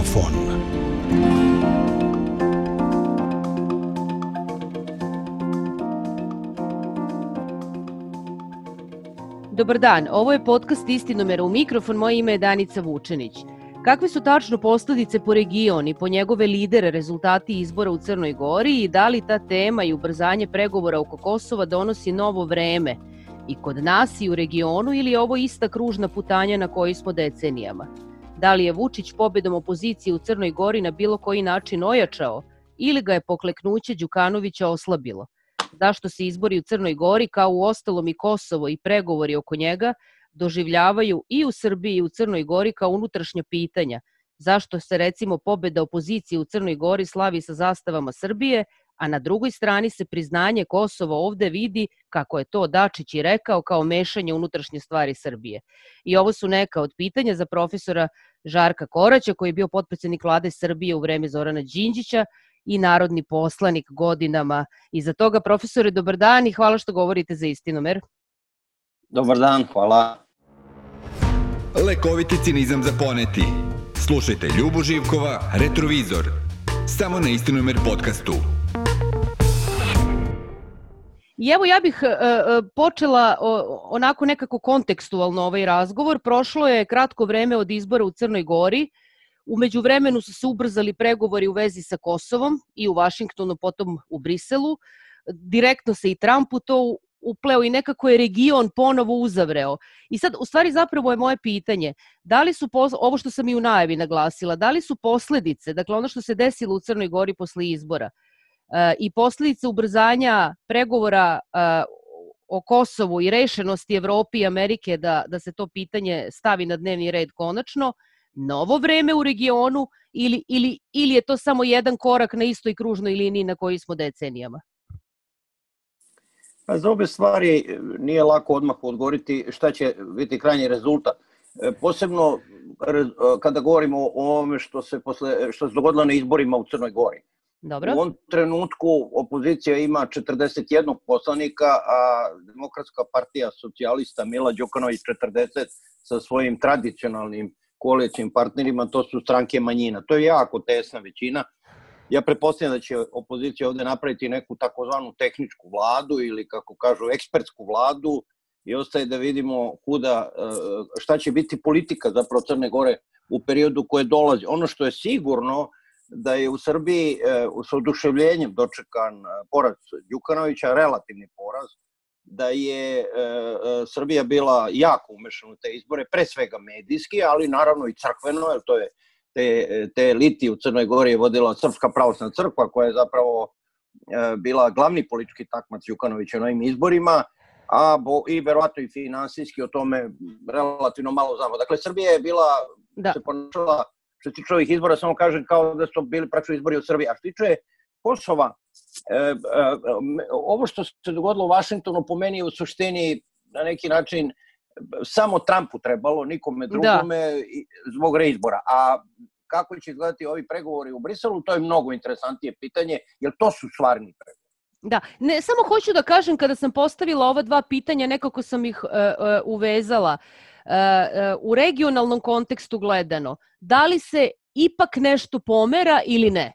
Megafon. Dobar dan, ovo je podcast Istinomera u mikrofon, moje ime je Danica Vučenić. Kakve su tačno posledice po region i po njegove lidere rezultati izbora u Crnoj Gori i da li ta tema i ubrzanje pregovora oko Kosova donosi novo vreme i kod nas i u regionu ili je ovo ista kružna putanja na kojoj smo decenijama? Da li je Vučić pobedom opozicije u Crnoj Gori na bilo koji način ojačao ili ga je pokleknuće Đukanovića oslabilo? Zašto se izbori u Crnoj Gori, kao u ostalom i Kosovo i pregovori oko njega, doživljavaju i u Srbiji i u Crnoj Gori kao unutrašnja pitanja? Zašto se recimo pobeda opozicije u Crnoj Gori slavi sa zastavama Srbije, a na drugoj strani se priznanje Kosova ovde vidi, kako je to Dačić i rekao, kao mešanje unutrašnje stvari Srbije? I ovo su neka od pitanja za profesora Žarka Koraća, koji je bio potpredsednik vlade Srbije u vreme Zorana Đinđića i narodni poslanik godinama iza toga. Profesore, dobar dan i hvala što govorite za Istinomer. Dobar dan, hvala. Lekoviti cinizam za poneti. Slušajte Ljubu Živkova, Retrovizor. Samo na Istinomer podcastu. I evo ja bih počela onako nekako kontekstualno ovaj razgovor. Prošlo je kratko vreme od izbora u Crnoj Gori. U međuvremenu su se ubrzali pregovori u vezi sa Kosovom i u Vašingtonu, potom u Briselu. Direktno se i Trump u to upleo i nekako je region ponovo uzavreo. I sad, u stvari, zapravo je moje pitanje, da li su, ovo što sam i u najavi naglasila, da li su posledice, dakle ono što se desilo u Crnoj Gori posle izbora i posledice ubrzanja pregovora o Kosovu i rešenosti Evrope i Amerike da se to pitanje stavi na dnevni red konačno, novo vreme u regionu ili je to samo jedan korak na istoj kružnoj liniji na kojoj smo decenijama? Za obe stvari nije lako odmah odgovoriti šta će biti krajnji rezultat. Posebno kada govorimo o ovome što se dogodilo na izborima u Crnoj Gori. Dobro. U ovom trenutku opozicija ima 41 poslanika, a Demokratska partija socijalista Mila Đukanović 40 sa svojim tradicionalnim koalicijnim partnerima, to su stranke manjina. To je jako tesna većina. Ja pretpostavljam da će opozicija ovde napraviti neku takozvanu tehničku vladu ili, kako kažu, ekspertsku vladu i ostaje da vidimo šta će biti politika zapravo Crne Gore u periodu koje dolazi. Ono što je sigurno da je u Srbiji s oduševljenjem dočekan poraz Đukanovića, relativni poraz, da je Srbija bila jako umešana u te izbore, pre svega medijski, ali naravno i crkveno, jer to je te eliti u Crnoj Gori je vodila Srpska pravoslavna crkva, koja je zapravo bila glavni politički takmac Đukanovića na ovim izborima, i verovatno i finansijski o tome relativno malo znamo. Dakle, Srbija je bila, se ponašala, što se tiče ovih izbora, samo kažem kao da su bili praktično izbori u Srbiji. A što se tiče Kosova, ovo što se dogodilo u Vašingtonu po meni je u suštini na neki način samo Trumpu trebalo, nikome drugome zbog reizbora. A kako će izgledati ovi pregovori u Briselu, to je mnogo interesantnije pitanje, jer to su stvarni pregovori. Da, ne, samo hoću da kažem, kada sam postavila ova dva pitanja, nekako sam ih uvezala. U regionalnom kontekstu gledano, da li se ipak nešto pomera ili ne?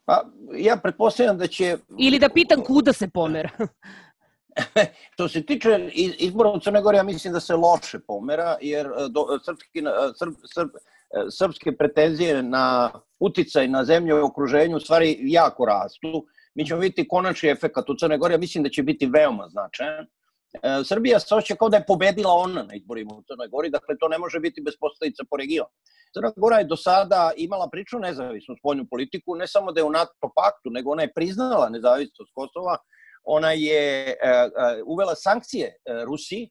Pa, ja pretpostavljam da će... Ili da pitam kuda se pomera? Što se tiče izbora u Crnoj Gori, ja mislim da se loše pomera, jer srpske pretenzije na uticaj na zemlje u okruženju u stvari jako rastu. Mi ćemo vidjeti konačni efekat u Crnoj Gori, ja mislim da će biti veoma značajan. Srbija se osjeća kao da je pobedila ona na izborima u Crnoj Gori, dakle to ne može biti bez posledica po regionu. Crna Gora je do sada imala prilično nezavisnu spoljnu politiku, ne samo da je u NATO paktu, nego ona je priznala nezavisnost Kosova, ona je uvela sankcije Rusiji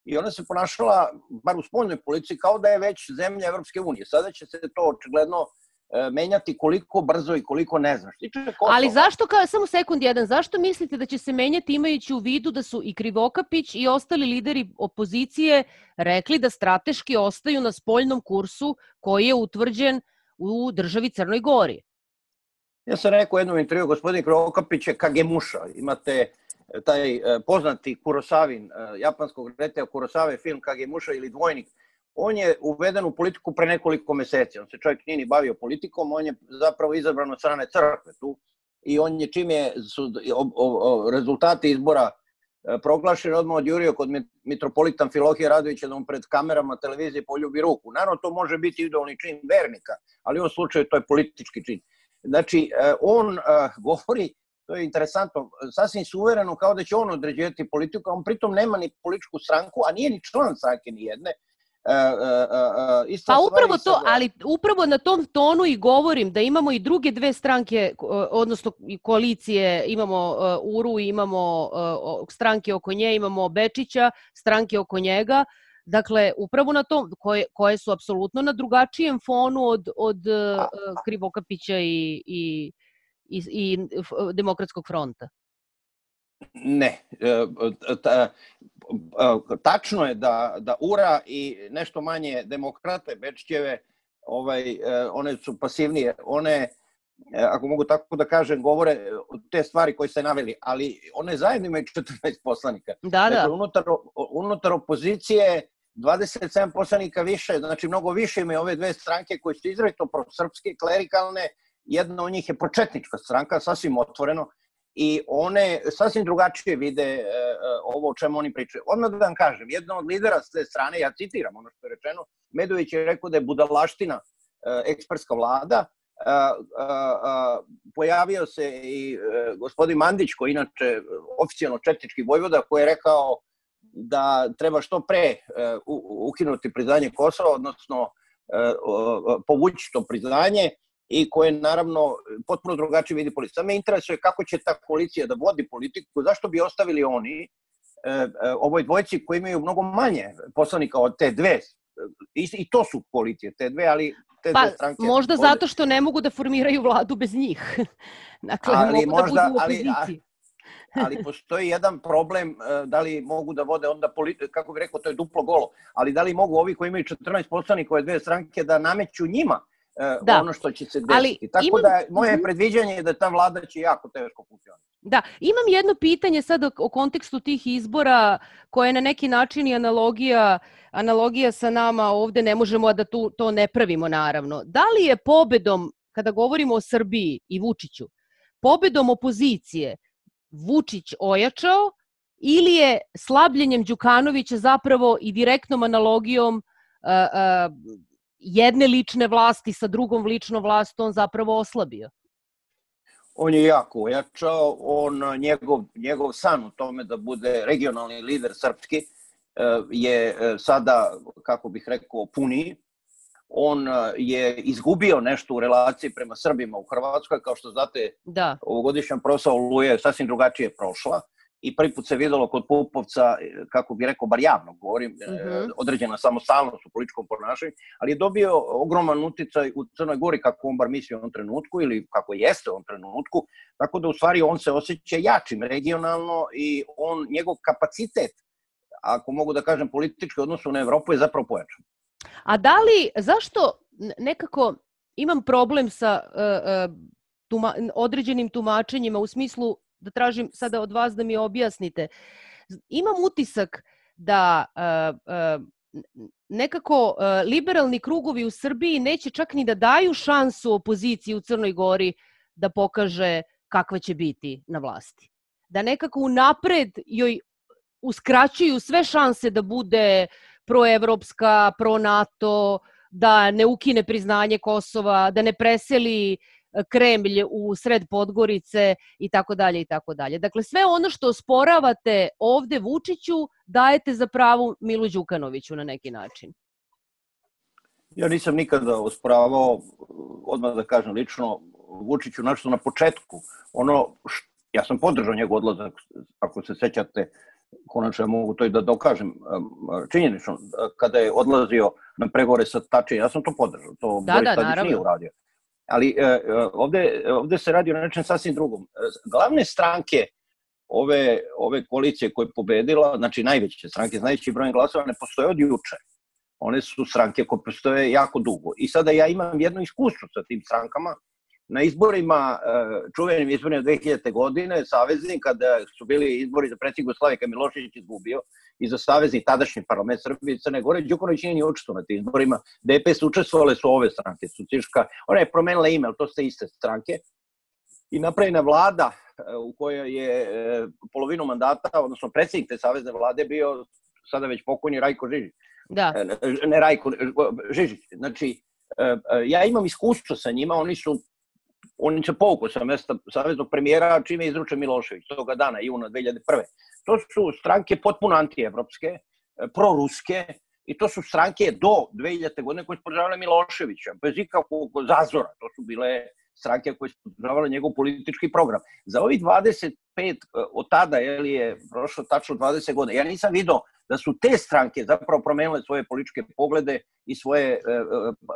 i ona se ponašala, bar u spoljnoj politici, kao da je već zemlja Evropske unije. Sada će se to očigledno menjati koliko brzo i koliko ne znaš. Ali zašto, samo sekund jedan, zašto mislite da će se menjati imajući u vidu da su i Krivokapić i ostali lideri opozicije rekli da strateški ostaju na spoljnom kursu koji je utvrđen u državi Crnoj Gori? Ja sam rekao u jednom intervju, gospodin Krivokapić je Kagemusha. Imate taj poznati Kurosavin, japanskog reditelja Kurosave film Kagemusha ili Dvojnik, on je uveden u politiku pre nekoliko meseci. On se čovjek nije ni bavio politikom, on je zapravo izabran od strane crkve tu i on je čim su rezultati izbora proglašeni, odmah odjurio kod mitropolita Amfilohija Radovića da mu pred kamerama televizije poljubi ruku. Naravno, to može biti idolni čin vernika, ali u ovom slučaju to je politički čin. Znači, on govori, to je interesantno, sasvim suvereno kao da će on određivati politiku, a on pritom nema ni političku stranku, a nije ni član stranke ni jedne. Pa upravo to, ali upravo na tom tonu i govorim da imamo i druge dve stranke, odnosno koalicije, imamo URU, imamo stranke oko nje, imamo Bečića, stranke oko njega, dakle upravo na tom, koje su apsolutno na drugačijem fonu od Krivokapića i Demokratskog fronta. Ne, tačno je da URA i nešto manje demokrate Bečićeve, one su pasivnije, one, ako mogu tako da kažem, govore te stvari koje ste naveli, ali one zajedno imaju 14 poslanika. Da. Dakle, unutar opozicije 27 poslanika više, znači mnogo više imaju ove dve stranke koje su izrazito prosrpske, klerikalne, jedna od njih je pročetnička stranka, sasvim otvoreno, i one sasvim drugačije vide ovo o čemu oni pričaju. Odmah da vam kažem, jedna od lidera s te strane, ja citiram ono što je rečeno, Medović je rekao da je budalaština ekspertska vlada, pojavio se i gospodin Mandić, koji inače oficijalno četnički vojvoda, koji je rekao da treba što pre ukinuti priznanje Kosova, odnosno povući to priznanje, i koje naravno potpuno drugačije vidi politiku. Sad me interesuje kako će ta koalicija da vodi politiku, zašto bi ostavili oni ovoj dvojci koji imaju mnogo manje poslanika od te dve, i to su koalicije, te dve, ali te dve stranke... Pa možda zato što ne mogu da formiraju vladu bez njih. Dakle, mogu da budu u opoziciji. Ali postoji jedan problem, da li mogu da vode onda politiku, kako bih rekao, to je duplo golo, ali da li mogu ovi koji imaju 14 poslanika ove dve stranke da nameću njima ono što će se desiti. Tako da moje predviđanje je da ta vlada će jako teško funkcionirati. Da, imam jedno pitanje sad o kontekstu tih izbora koje je na neki način i analogija sa nama ovde, ne možemo da to ne pravimo naravno. Da li je pobedom, kada govorimo o Srbiji i Vučiću, pobedom opozicije Vučić ojačao ili je slabljenjem Đukanovića zapravo i direktnom analogijom jedne lične vlasti sa drugom ličnom vlastom on zapravo oslabio? On je jako ojačao, njegov san u tome da bude regionalni lider srpski je sada, kako bih rekao, puniji. On je izgubio nešto u relaciji prema Srbima u Hrvatskoj, kao što znate, ovogodišnja proslava Oluje je sasvim drugačije prošla i prvi put se videlo kod Pupovca, kako bih rekao, bar javno govorim, određena samostalnost u političkom ponašanju, ali je dobio ogroman uticaj u Crnoj Gori, kako on bar misli u ovom trenutku ili kako jeste u ovom trenutku, tako da u stvari on se osjeća jačim regionalno i njegov kapacitet, ako mogu da kažem politički odnosu na Evropu, je zapravo pojačan. A zašto nekako imam problem sa određenim tumačenjima u smislu da tražim sada od vas da mi objasnite. Imam utisak da nekako liberalni krugovi u Srbiji neće čak ni da daju šansu opoziciji u Crnoj Gori da pokaže kakva će biti na vlasti. Da nekako unapred joj uskraćuju sve šanse da bude proevropska, pro-NATO, da ne ukine priznanje Kosova, da ne preseli Kremlj u sred Podgorice i tako dalje i tako dalje. Dakle, sve ono što osporavate ovde Vučiću dajete za pravo Milu Đukanoviću na neki način. Ja nisam nikada osporavao, odmah da kažem lično, Vučiću nešto na početku. Ja sam podržao njegov odlazak, ako se sećate, konačno mogu to i da dokažem činjenično, kada je odlazio na pregovore sa Tačijem, ja sam to podržao, to Boris Tadić nije uradio. Ali ovde se radi o nečem sasvim drugom. Glavne stranke ove koalicije koje je pobedila, znači najveće stranke, najveći broj glasova, ne postoje od juče. One su stranke koje postoje jako dugo. I sada ja imam jedno iskustvo sa tim strankama, na izborima, čuvenim izborima 2000. godine, savezni, kada su bili izbori za predsjednika Jugoslavije, kad Milošević izgubio, i za savezni tadašnji parlament Srbije i Crne Gore, Đukanović nije ni učestvovao na tim izborima. DPS učestvovale su ove stranke, Socijalistčka, ona je promenila ime, ali to ste iste stranke. I napravljena vlada u kojoj je polovinu mandata, odnosno predsjednik te savezne vlade bio sada već pokojni Rajko Žižić. Da. Ne Rajko, Žižić. Znači, ja imam iskustvo sa njima, oni se povukli sa mesta saveznog premijera čime je izručen Milošević toga dana, juna 2001. To su stranke potpuno antievropske, proruske, i to su stranke do 2000. godine koje su podržavale Miloševića, bez ikakvog zazora. To su bile stranke koje su podržavale njegov politički program. Za ovih 25, od tada je prošlo tačno 20 godina, ja nisam vidio da su te stranke zapravo promenile svoje političke poglede i svoje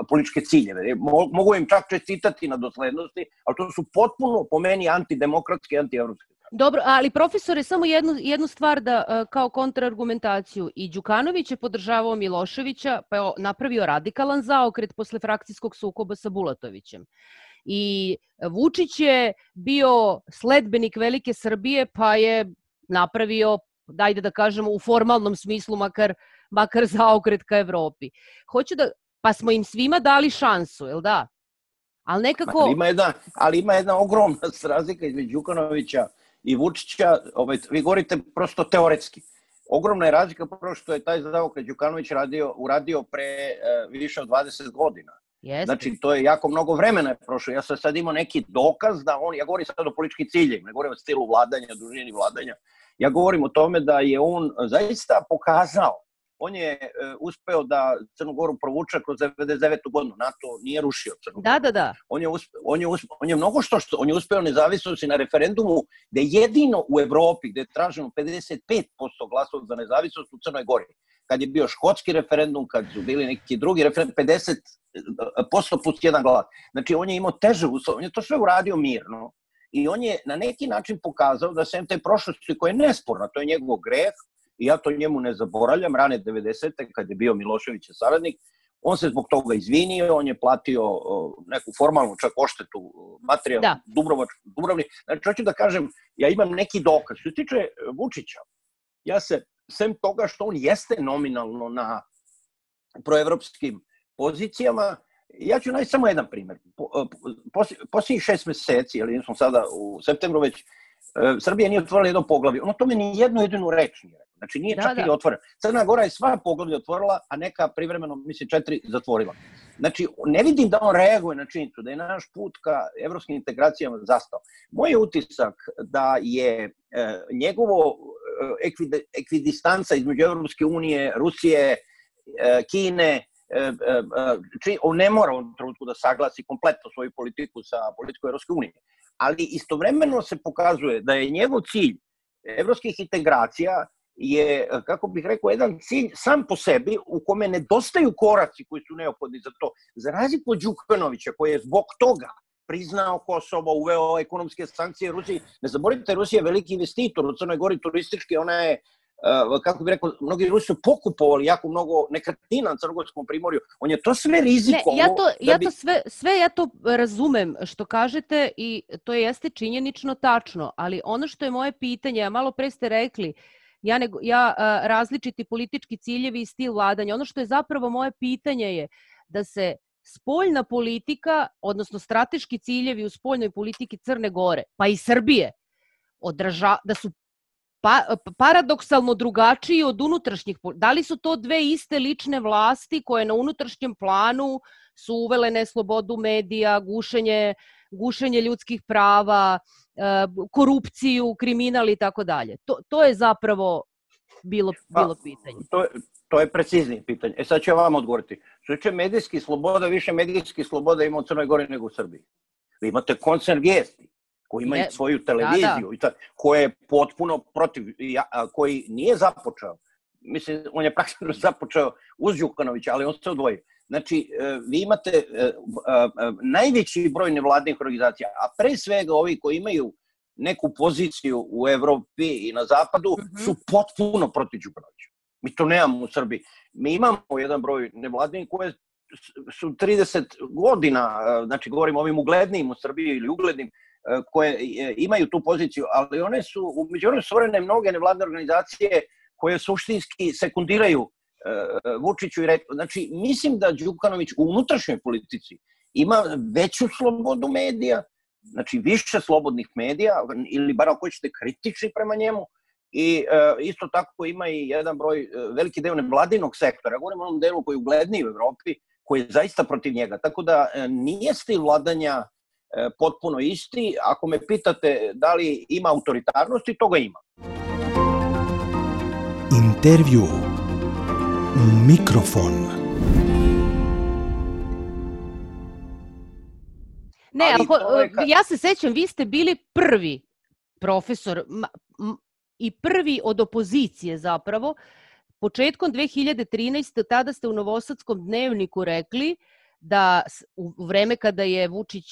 političke ciljeve. Mogu im čak čestitati na doslednosti, ali to su potpuno po meni antidemokratske i antievropske. Dobro, ali profesore, samo jednu stvar da kao kontraargumentaciju. I Đukanović je podržavao Miloševića, pa je napravio radikalan zaokret posle frakcijskog sukoba sa Bulatovićem. I Vučić je bio sledbenik Velike Srbije, pa je napravio, dajde da kažemo, u formalnom smislu makar zaokret ka Evropi. Pa smo im svima dali šansu, jel da? Ali nekako... Ali ima jedna ogromna razlika između Đukanovića i Vučića, vi govorite prosto teoretski. Ogromna je razlika prvo što je taj zaokret Đukanović uradio pre više od 20 godina. Znači, to je jako mnogo vremena prošlo. Ja sam sad imao neki dokaz da ja govorim sad o političkim ciljevima, ne govorim o stilu vladanja, dužini vladanja. Ja govorim o tome da je on zaista pokazao, on je uspeo da Crnu Goru provuče kroz 99. godinu. NATO nije rušio Crnu Goru. Da. On je mnogo on je uspeo nezavisnosti na referendumu gde jedino u Evropi gde je traženo 55% glasova za nezavisnost u Crnoj Gori. Kad je bio škotski referendum, kad su bili neki drugi referendum, 50% plus jedan glas. Znači, on je imao teže uslove, on je to sve uradio mirno i on je na neki način pokazao da sem te prošlosti koja je nesporna, to je njegov greh, i ja to njemu ne zaboravljam, rane 90. kad je bio Miloševićev saradnik, on se zbog toga izvinio, on je platio neku formalnu čak odštetu materijalnu Dubrovnik. Znači, hoću da kažem, ja imam neki dokaz. Što se tiče Vučića, ja se, sem toga što on jeste nominalno na proevropskim pozicijama, ja ću naći samo jedan primjer. Posljednjih 6 meseci, ili smo sada u septembru već, Srbija nije otvorila jedno poglavlje. Ono tome ni jednu jedinu reč nije rekla. Znači nije čak i otvorena. Crna Gora je sva poglavlje otvorila, a neka privremeno, mislim, 4 zatvorila. Znači, ne vidim da on reaguje na činjenicu, da je naš put ka evropskim integracijama zastao. Moj je utisak da je njegovo ekvidistanca između Evropske unije, Rusije, Kine, on ne mora u trenutku da saglasi kompletno svoju politiku sa politikom Evropske unije. Ali istovremeno se pokazuje da je njegov cilj evropskih integracija je, kako bih rekao, jedan cilj sam po sebi u kome nedostaju koraci koji su neophodni za to. Za razliku od Đukanovića, koji je zbog toga priznao Kosovo, uveo ekonomske sankcije Rusiji. Ne zaboravite, Rusija je veliki investitor u Crnoj Gori turistički, ona je, kako bih rekao, mnogi Rusi su pokupovali jako mnogo nekretnina na Crnogorskom primorju. On je to sve rizikovao. Ja to razumem što kažete i to jeste činjenično tačno, ali ono što je moje pitanje, a malo pre ste rekli, različiti politički ciljevi i stil vladanja, ono što je zapravo moje pitanje je da se spoljna politika, odnosno strateški ciljevi u spoljnoj politiki Crne Gore, pa i Srbije, da su paradoksalno drugačiji od unutrašnjih. Da li su to dve iste lične vlasti koje na unutrašnjem planu su uvele neslobodu medija, gušenje ljudskih prava, korupciju, kriminal i tako dalje? To je zapravo bilo pitanje. To je preciznije pitanje. Sad ću ja vam odgovoriti. Što će medijskih sloboda, više medijskih sloboda ima u Crnoj Gori nego u Srbiji. Vi imate koncern Vijesti, koji ima i svoju televiziju, koja je potpuno protiv, koji nije započeo. Mislim, on je praktično započeo uz Đukanovića, ali on se odvojio. Znači, vi imate najveći broj nevladnih organizacija, a pre svega ovi koji imaju neku poziciju u Evropi i na Zapadu, su potpuno protiv Đukanovića. Mi to nemamo u Srbiji. Mi imamo jedan broj nevladnih koje su 30 godina, znači govorim o ovim uglednijim u Srbiji ili uglednim, koje imaju tu poziciju, ali one su, u međuvremenu stvorene mnoge nevladne organizacije koje suštinski sekundiraju Vučiću i znači mislim da Đukanović u unutrašnjoj politici ima veću slobodu medija, znači više slobodnih medija, ili bar ako hoćete kritični prema njemu, i isto tako ima i jedan broj, veliki deo nevladinog sektora, govorim o onom delu koji je ugledniji u Evropi, koji je zaista protiv njega, tako da nije stil vladanja potpuno isti. Ako me pitate da li ima autoritarnosti, toga ima. Intervju Mikrofon. Ne, ja se sećam, vi ste bili prvi profesor i prvi od opozicije zapravo. Početkom 2013. tada ste u Novosadskom dnevniku rekli da u vreme kada je Vučić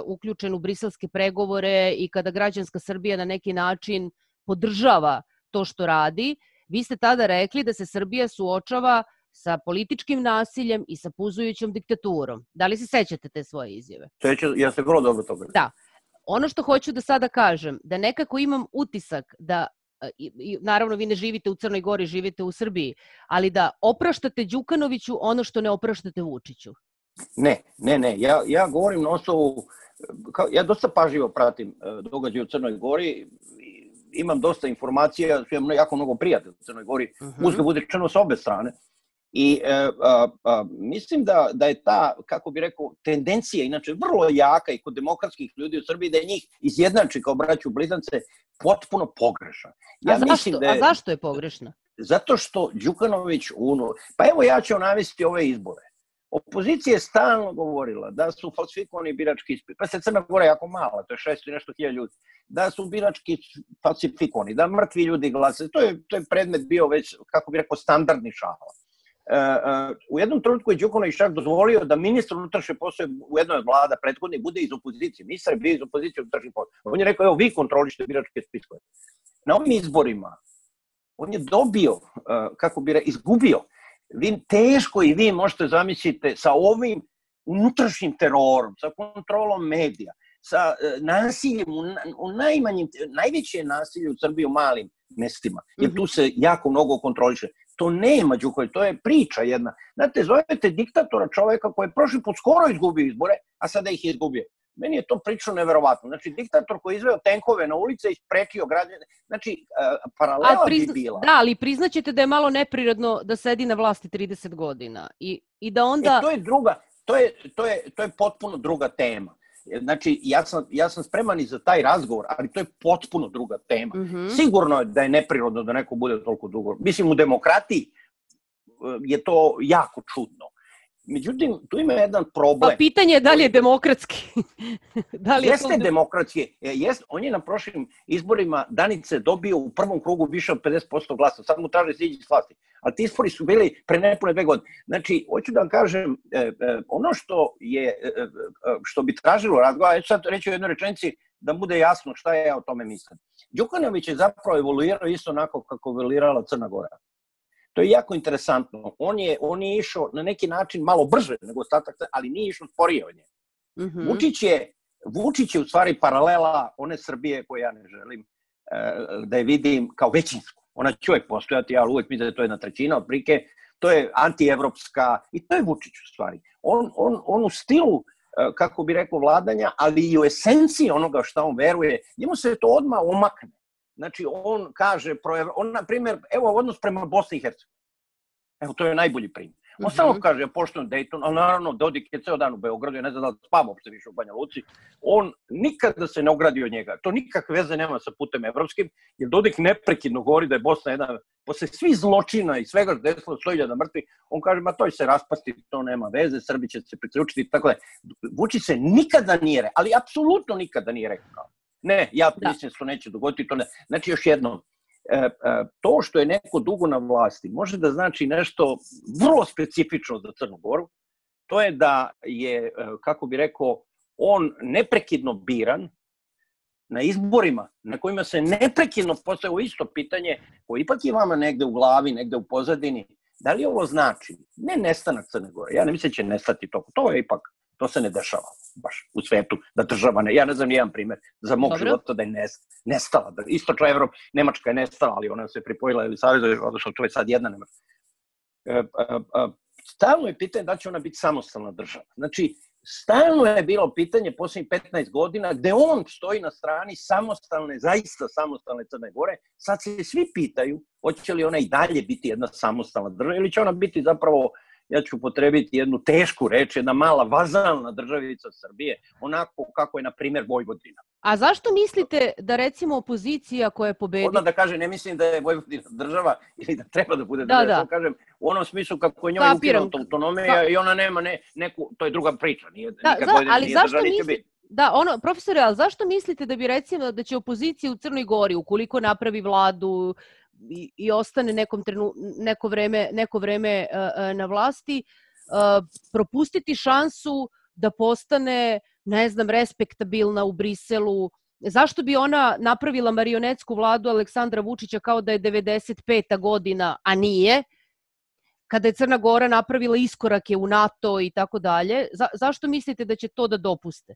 uključen u briselske pregovore i kada građanska Srbija na neki način podržava to što radi, vi ste tada rekli da se Srbija suočava sa političkim nasiljem i sa puzujućom diktaturom. Da li se sećate te svoje izjave? Ja se vrlo dobro toga. Da. Ono što hoću da sada kažem, da nekako imam utisak da, naravno vi ne živite u Crnoj Gori, živite u Srbiji, ali da opraštate Đukanoviću ono što ne opraštate Vučiću. Ne. Ja govorim na osnovu, ja dosta pažljivo pratim događaje u Crnoj Gori, imam dosta informacija, imam jako mnogo prijatelja u Crnoj Gori, uzgled bude rečeno sa obe strane. I mislim da je ta, kako bi rekao, tendencija, inače vrlo jaka i kod demokratskih ljudi u Srbiji, da je njih izjednači kao braću blizance, potpuno pogrešna. A zašto je pogrešna? Zato što Đukanović, pa evo ja ću navesti ove izbore. Opozicija je stalno govorila da su falsifikovani birački ispiti, pa se Crna Gora jako mala, to je 600 i nešto hiljada ljudi, da su birački falsifikovani, da mrtvi ljudi glase, to je predmet bio već, kako bi rekao, standardni šala. U jednom trenutku je Đukanović čak dozvolio da ministar unutrašnje poslove u jednoj od vlada prethodnih bude iz opozicije. Ministar je bio iz opozicije unutrašnjih poslova. On je rekao, evo vi kontrolište biračke spiskove. Na ovim izborima on je dobio, kako bi rekao, izgubio. Teško i vi možete zamisliti sa ovim unutrašnjim terorom, sa kontrolom medija, sa nasiljem, najveće nasilje u Srbiji u malim mestima, jer tu se jako mnogo kontroliše. To nema Đukanović, to je priča jedna. Znate, zovete diktatora čoveka koji je prošli put skoro izgubio izbore, a sada ih je izgubio. Meni je to priča neverovatno. Znači, diktator koji je izveo tenkove na ulice i sprečio građane, znači, paralela bi bila. Da, ali priznaćete da je malo neprirodno da sedi na vlasti 30 godina i da onda... To je potpuno druga tema. Znači, ja sam spreman i za taj razgovor, ali to je potpuno druga tema. Sigurno je da je neprirodno da neko bude toliko dugo. Mislim, u demokratiji je to jako čudno. Međutim, tu ima jedan problem. Pa pitanje je da li je demokratski. Jeste demokratski. On je na prošlim izborima Danice dobio u prvom krugu više od 50% glasa. Sad mu traže siđi s vlasti. Ali ti izbori su bili pre nepune 2 godine. Znači, hoću da vam kažem, ono što bi tražilo razgovor, ja ću sad reći u jednoj rečenici da bude jasno šta ja o tome mislim. Đukanović je zapravo evoluirao isto onako kako evoluirala Crna Gora. To je jako interesantno. On je išao na neki način malo brže nego ostatak, ali nije išao sporije od nje. Vučić je u stvari paralela one Srbije koje ja ne želim da je vidim kao većinsku. Ona će uvek postojati, ali uvek mislim da je to 1/3 otprilike. To je antievropska i to je Vučić u stvari. On u stilu, kako bi rekao, vladanja, ali i u esenciji onoga što on veruje, njemu se to odmah omakne. Znači, on kaže, na primjer, evo odnos prema Bosni i Hercegovini. Evo, to je najbolji primjer. On samo kaže, ja poštujem Dayton, ali naravno Dodik je ceo dan u Beogradu, ja ne znam da spava uopšte više u Banja Luci. On nikada se ne ogradi od njega. To nikakve veze nema sa putem evropskim, jer Dodik neprekidno govori da je Bosna jedna, posle svih zločina i svega što desilo 100.000 mrtvih, on kaže, ma to će se raspasti, to nema veze, Srbi će se priključiti, tako da. Vučić se nikada nije, ali apsolutno nikada nije rekao. Ne, ja mislim da se to neće dogoditi. Znači, još jednom, to što je neko dugo na vlasti može da znači nešto vrlo specifično za Crnu Goru. To je da je, kako bi rekao, on neprekidno biran na izborima na kojima se neprekidno postavlja isto pitanje koje ipak je vama negde u glavi, negde u pozadini. Da li ovo znači, ne nestanak Crne Gore, ja ne mislim da će nestati to je ipak, to se ne dešava baš u svetu, da država ja ne znam nijedan primjer za mog života da je nestala. Istočna Evropa, Nemačka je nestala, ali ona se pripojila ili Savezu, odnosno to je sad jedna Nemačka. Stalno je pitanje da će ona biti samostalna država. Znači, stalno je bilo pitanje posljednjih 15 godina gde on stoji na strani samostalne, zaista samostalne Crne Gore. Sad se svi pitaju hoće li ona i dalje biti jedna samostalna država ili će ona biti zapravo, ja ću upotrebiti jednu tešku reč, jedna mala vazalna državica Srbije, onako kako je, na primjer, Vojvodina. A zašto mislite da, recimo, opozicija koja je pobedila... Odmah da kažem, ne mislim da je Vojvodina država ili da treba da bude država, da kažem, u onom smislu kako je njoj ukinuta autonomija i ona nema neku, to je druga priča, nije država, neće biti. Da, profesore, ali zašto mislite da bi, recimo, da će opozicija u Crnoj Gori, ukoliko napravi vladu i ostane neko vreme na vlasti, propustiti šansu da postane, ne znam, respektabilna u Briselu? Zašto bi ona napravila marionetsku vladu Aleksandra Vučića kao da je 95. godina, a nije, kada je Crna Gora napravila iskorake u NATO i tako dalje? Zašto mislite da će to da dopuste?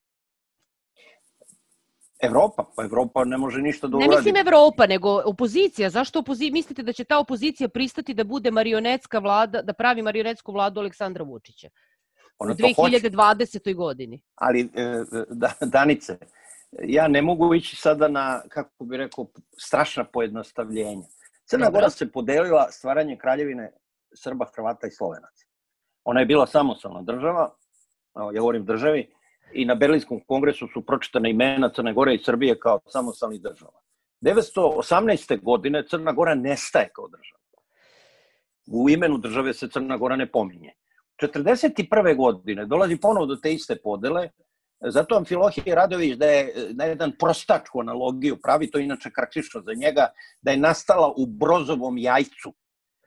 Evropa ne može ništa da uradi. Ne mislim Evropa, nego opozicija. Zašto mislite da će ta opozicija pristati da bude marionetska vlada, da pravi marionetsku vladu Aleksandra Vučića u 2020. godini? Ali, Danice, ja ne mogu ići sada na, kako bih rekao, strašna pojednostavljenja. Crna Gora se podelila stvaranje kraljevine Srba, Hrvata i Slovenaca. Ona je bila samostalna država, ja govorim državi, i na Berlinskom kongresu su pročitane imena Crne Gore i Srbije kao samostalnih država. 1918. godine Crna Gora nestaje kao država. U imenu države se Crna Gora ne pominje. 1941. godine dolazi ponovo do te iste podele, zato Amfilohije Radović da je na jedan prostačku analogiju pravi, to je inače karakteristično za njega, da je nastala u Brozovom jajcu.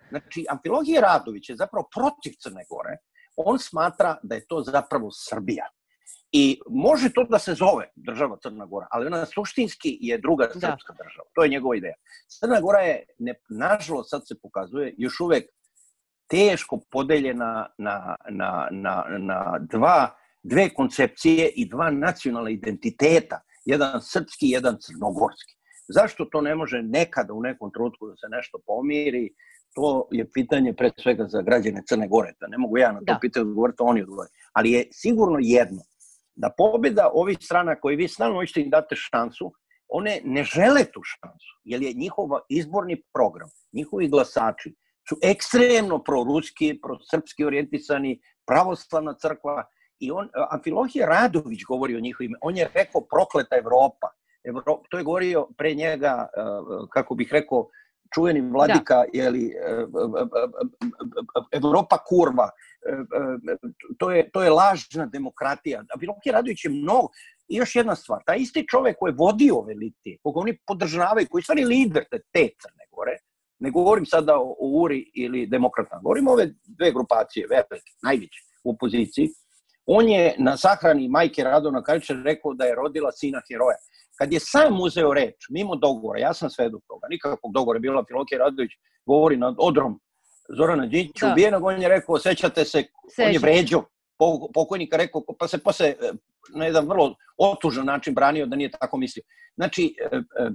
Znači, Amfilohije Radović je zapravo protiv Crne Gore, on smatra da je to zapravo Srbija. I može to da se zove država Crna Gora, ali ona suštinski je druga srpska država. To je njegova ideja. Crna Gora je, nažalost, sad se pokazuje, još uvek teško podeljena na dve koncepcije i dva nacionalna identiteta. Jedan srpski, jedan crnogorski. Zašto to ne može nekada u nekom trenutku da se nešto pomiri? To je pitanje pre svega za građane Crne Gore. Ne mogu ja na to pitanje odgovoriti, oni odgovore. Ali je sigurno jedno, da pobjeda ovih strana koji vi stalno hoćete im date šansu, one ne žele tu šansu, jer je njihov izborni program, njihovi glasači su ekstremno proruski, prosrpski orijentisani, pravoslavna crkva, i Amfilohije Radović govori o njihovim, on je rekao prokleta Evropa. To je govorio pre njega, kako bih rekao, čuveni vladika, Evropa kurva, to je lažna demokratija. Amfilohije Radović je mnogo. I još jedna stvar, taj isti čovek koji je vodio ove litije, koga oni podržavaju, koji je stvari lider te Crne Gore, ne govorim sada o URI ili demokratama, govorim o ove dve grupacije, velike, najveće u opoziciji, on je na sahrani majke Radovana Karadžića rekao da je rodila sina heroja. Kad je sam uzeo reč, mimo dogovora, ja sam svedok toga, nikakvog dogovora, bilo Amfilohije Radović govori nad odrom Zorana Đinđića ubijenog, on je rekao, sećate se, on je vređao pokojnika, rekao, pa se posle na jedan vrlo otužan način branio da nije tako mislio. Znači,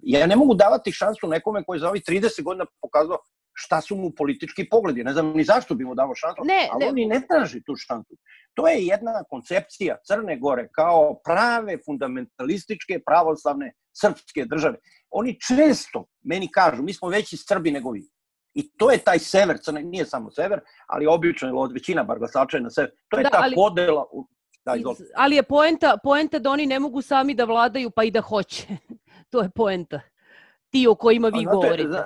ja ne mogu davati šansu nekome koji za ovih 30 godina pokazao šta su mu politički pogledi. Ne znam ni zašto bi mu dao šansu, ali on i ne traži tu šansu. To je jedna koncepcija Crne Gore kao prave fundamentalističke pravoslavne srpske države. Oni često meni kažu, mi smo veći Srbi nego vi. I to je taj sever, nije samo sever, ali obično, većina bar glasača je na sever. To je ta podela. Ali je poenta da oni ne mogu sami da vladaju, pa i da hoće. To je poenta. Ti o kojima vi govorite.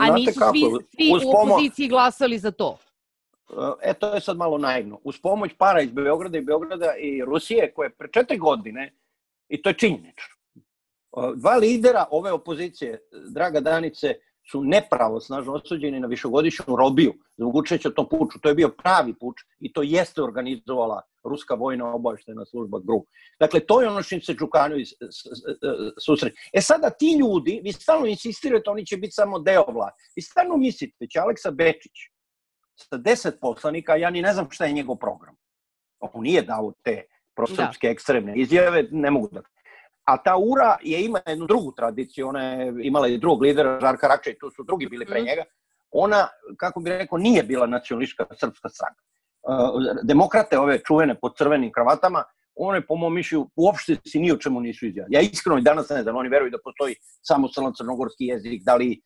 A nisu svi u opoziciji glasali za to. To je sad malo naivno. Uz pomoć para iz Beograda i Rusije, koje pre 4 godine, i to je činjenično, 2 lidera ove opozicije, draga Danice, su nepravosnažno osuđeni na višegodišnju robiju zbog učešća u tom puču. To je bio pravi puč i to jeste organizovala ruska vojna obaveštajna služba GRU. Dakle, to je ono što se Đukanović susreće. Sada ti ljudi, vi stalno insistirate, oni će biti samo deo vlade. Vi stalno mislite da će Aleksa Bečić sa 10 poslanika, ja ni ne znam šta je njegov program. On nije dao te prosrpske ekstremne izjave, ne mogu da... A ta URA ima jednu drugu tradiciju, ona je imala i drugog lidera, Žarka Rakča, i tu su drugi bili pre njega. Ona, kako bih rekao, nije bila nacionalistička srpska stranka. Demokrate, ove čuvene pod crvenim kravatama, one, po mom mišlju, uopšte si ni o čemu nisu izjavili. Ja iskreno i danas ne znam, oni veruju da postoji samostalan crnogorski jezik, da li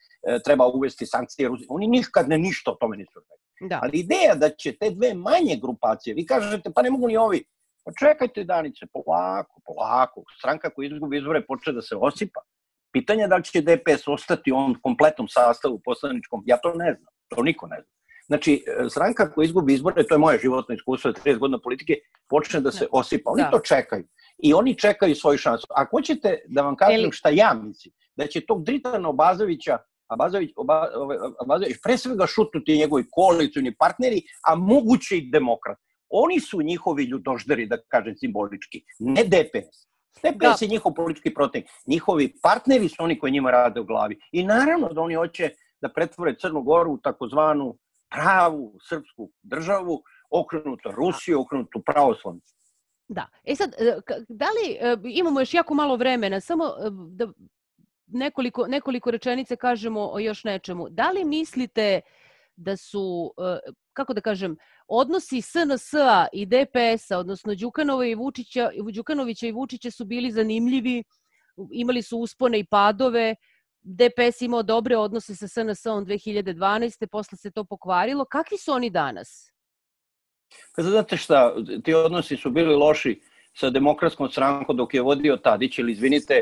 treba uvesti sankcije. Oni nikad ništa o tome nisu rekli. Ali ideja da će te dve manje grupacije, vi kažete, pa ne mogu ni ovi, pa čekajte Danice, polako. Stranka koja izgubi izbore počne da se osipa. Pitanje je da li će DPS ostati u ovom kompletnom sastavu poslaničkom, ja to ne znam, to niko ne zna. Znači, stranka koja izgubi izbore, to je moje životno iskustvo, 30 godina politike, počne da se osipa. Oni to čekaju. I oni čekaju svoju šansu. Ako hoćete da vam kažem šta ja mislim, da će tog Dritana Abazovića, Abazović pre svega šutnuti njegovi koalicioni partneri, a moguće i demokrat. Oni su njihovi ljudožderi, da kažem simbolički, ne DPS. DPS je njihov politički protivnik. Njihovi partneri su oni koji njima rade u glavi. I naravno da oni hoće da pretvore Crnu Goru u takozvanu pravu srpsku državu, okrenutu Rusiju, okrenutu pravoslavnu. Da. Sad, da li imamo još jako malo vremena, samo da nekoliko rečenice kažemo o još nečemu. Da li mislite da su, kako da kažem, odnosi SNS-a i DPS-a, odnosno Đukanovića i Vučića su bili zanimljivi, imali su uspone i padove, DPS imao dobre odnose sa SNS-om 2012. Posle se to pokvarilo. Kakvi su oni danas? Pa znate šta, ti odnosi su bili loši sa Demokratskom strankom dok je vodio Tadić, ili izvinite,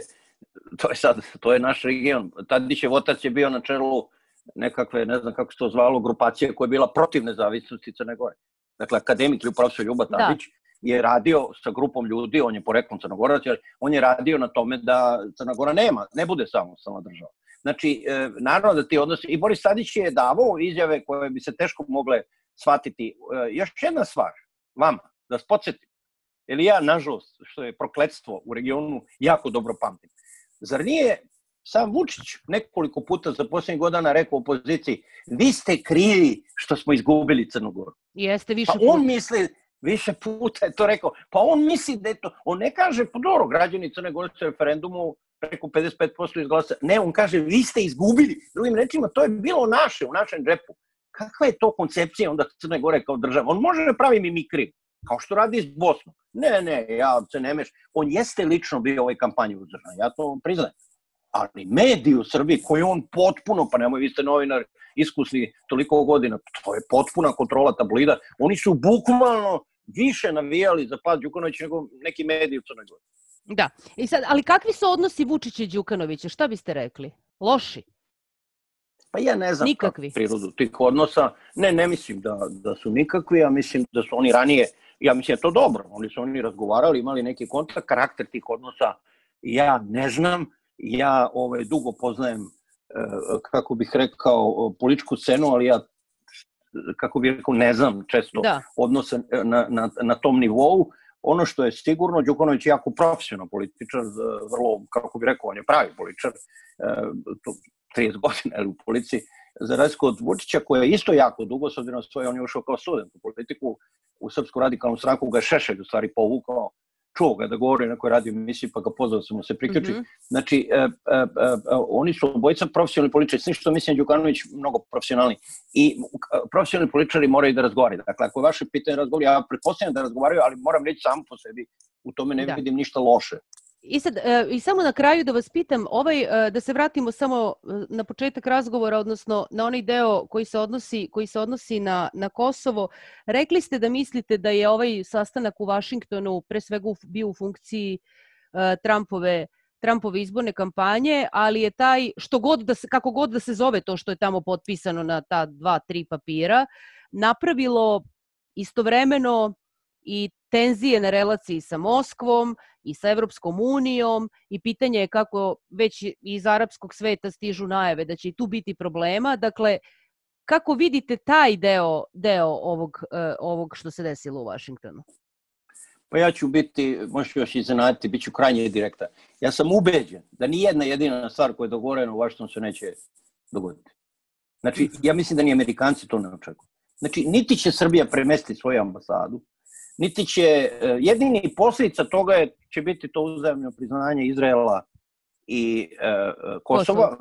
to je naš region. Tadićev otac je bio na čelu nekakve, ne znam kako se to zvalo, grupacije koja je bila protiv nezavisnosti Crne Gore. Dakle, akademik ili profesor Ljuba Tadić je radio sa grupom ljudi, on je poreklom Crnogorac, on je radio na tome da Crna Gora ne bude samostalna država. Znači, naravno da ti odnosi, i Boris Tadić je davao izjave koje bi se teško mogle shvatiti. Još jedna stvar, vama, da vas podsjetim, jer ja, nažalost, što je prokletstvo u regionu, jako dobro pamtim. Zar nije sam Vučić nekoliko puta za posljednjih godina rekao opoziciji, vi ste krivi što smo izgubili Crnu Goru. Jeste više puta. Pa on misli, više puta je to rekao, pa on misli da je to, on ne kaže, pa dobro, građani Crne Gore su referendumu preko 55% izglasa. Ne, on kaže, vi ste izgubili. Drugim rečima, to je bilo naše, u našem džepu. Kakva je to koncepcija onda Crne Gore kao država? On može da pravi mimikri, kao što radi s Bosnom. Ne, ja se ne meš. On jeste lično bio u ovoj kampanji uzdržan, ja to priznajem. Ali mediji u Srbiji koji on potpuno, pa nemoj, vi ste novinar iskusni toliko godina, to je potpuna kontrola tabloida, oni su bukvalno više navijali za pad Đukanovića nego neki mediji u Crnoj Gori. Da, i sad, ali kakvi su odnosi Vučića i Đukanovića, šta biste rekli? Loši? Pa ja ne znam prirodu tih odnosa, ne mislim da su nikakvi, ja mislim da su oni ranije, ja mislim da je to dobro, oni razgovarali, imali neki kontakt, karakter tih odnosa, ja ne znam, ja dugo poznajem, kako bih rekao, političku scenu, ali ja, kako bih rekao, ne znam često odnose na tom nivou. Ono što je sigurno, Đukanović je jako profesionalan političar, vrlo, kako bih rekao, on je pravi političar, 30 godina u policiji, za razliku od Vučića, koja je isto jako dugo, s obzirom svoje, on je ušao kao student u politiku, u Srpsku radikalnu stranku ga Šešelj u stvari povukao, čuo ga da govori na nekoj radio emisiji, pa ga pozvao da mu se priključi. Znači, oni su obojica profesionalni političari, s njim što mislim Đukanović mnogo profesionalni. I profesionalni političari moraju da razgovaraju. Dakle, ako je vaše pitanje razgovori, ja pretpostavljam da razgovaraju, ali moram reći samo po sebi, u tome ne vidim ništa loše. I samo na kraju da vas pitam, da se vratimo samo na početak razgovora, odnosno na onaj deo koji se odnosi na Kosovo. Rekli ste da mislite da je ovaj sastanak u Vašingtonu pre svega bio u funkciji Trumpove izborne kampanje, ali je taj, kako god da se zove to što je tamo potpisano na ta 2-3 papira, napravilo istovremeno i tenzije na relaciji sa Moskvom i sa Evropskom unijom i pitanje je kako već iz arapskog sveta stižu najave da će i tu biti problema. Dakle, kako vidite taj deo ovog što se desilo u Vašingtonu? Pa ja ću biti, možete još iznenaditi, bit ću krajnje direktan. Ja sam ubeđen da ni jedna jedina stvar koja je dogovorena u Vašingtonu se neće dogoditi. Znači, ja mislim da ni Amerikanci to ne očekuju. Znači, niti će Srbija premestiti svoju ambasadu, niti će, jedini posljedica toga će biti to uzajamno priznanje Izraela i Kosova,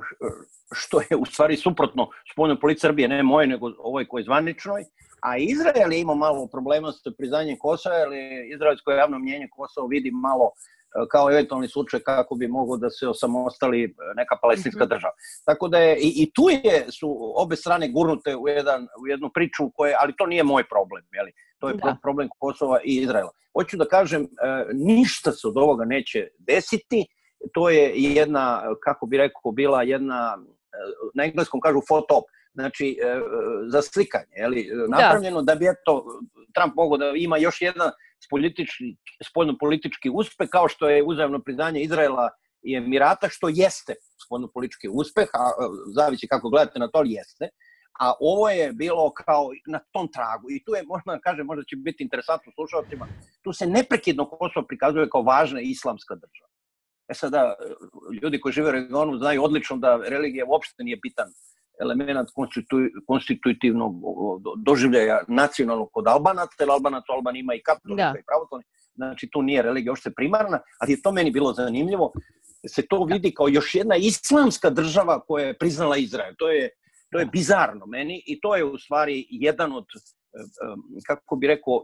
što je u stvari suprotno spoljnoj politici Srbije, ne moje, nego ovoj koji je zvaničnoj, a Izrael je imao malo problema sa priznanjem Kosova, jer izraelsko javno mnjenje Kosovo vidi malo kao eventualni slučaj kako bi moglo da se osamostali neka palestinska država. Tako da je, i tu su obe strane gurnute u jednu priču, ali to nije moj problem, jeli? To je problem Kosova i Izraela. Hoću da kažem, ništa se od ovoga neće desiti, to je jedna, kako bi rekao, bila jedna, na engleskom kažu photo op, znači za slikanje, jeli? Napravljeno da bi Trump mogao da ima još jedan spoljno-politički uspeh, kao što je uzajamno priznanje Izraela i Emirata, što jeste spoljno-politički uspeh, a zavisi kako gledate na to, ali jeste. A ovo je bilo kao na tom tragu. I tu je, možda će biti interesantno slušalcima, tu se neprekidno Kosovo prikazuje kao važna islamska država. Sada, ljudi koji žive u regionu znaju odlično da religija uopšte nije bitan element konstitutivnog doživljaja nacionalnog kod Albanaca, jer Albanac u Albaniji ima i katolika i pravoslavni, znači tu nije religija uopšte primarna, ali je to meni bilo zanimljivo, se to vidi kao još jedna islamska država koja je priznala Izrael. To je bizarno meni i to je u stvari jedan od, kako bi rekao,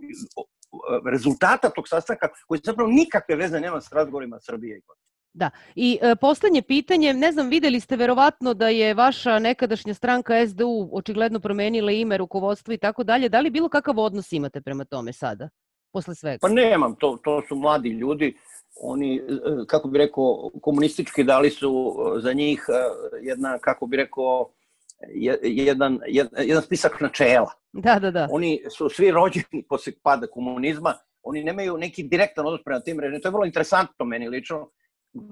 rezultata tog sastanka koji zapravo nikakve veze nema s razgovorima Srbije i Kosova. Da, i poslednje pitanje, ne znam, videli ste verovatno da je vaša nekadašnja stranka SDU očigledno promenila ime, rukovodstvo i tako dalje, da li bilo kakav odnos imate prema tome sada, posle svega? Pa nemam, to su mladi ljudi, oni, kako bi rekao, komunistički dali su za njih jedna, kako bi rekao, jedan spisak načela. Da. Oni su svi rođeni posle pada komunizma, oni nemaju neki direktan odnos prema tim režimima. To je vrlo interesantno meni lično.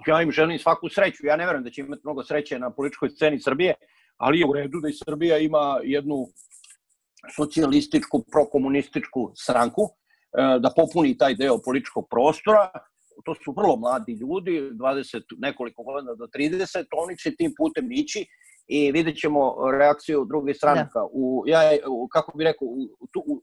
Ja im želim svaku sreću. Ja ne verujem da će imati mnogo sreće na političkoj sceni Srbije, ali je u redu da i Srbija ima jednu socijalističku, prokomunističku stranku, da popuni taj deo političkog prostora. To su vrlo mladi ljudi, 20 nekoliko godina do 30, oni će tim putem ići i vidjet ćemo reakciju drugih stranaka. Kako bih rekao,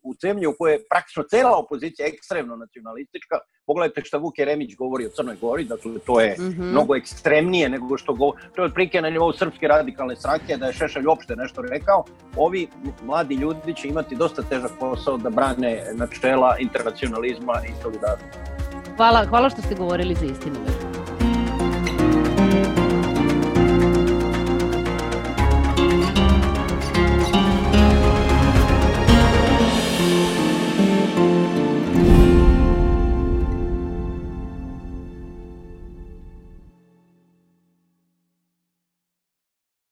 u zemlji u kojoj je praktično cela opozicija ekstremno nacionalistička, pogledajte šta Vuk Jeremić govori o Crnoj Gori, dakle to je mnogo ekstremnije nego što govori, to je otprilike na nivou Srpske radikalne stranke, da je Šešelj uopšte nešto rekao. Ovi mladi ljudi će imati dosta težak posao da brane načela internacionalizma i solidarnosti. Hvala što ste govorili za Istinu.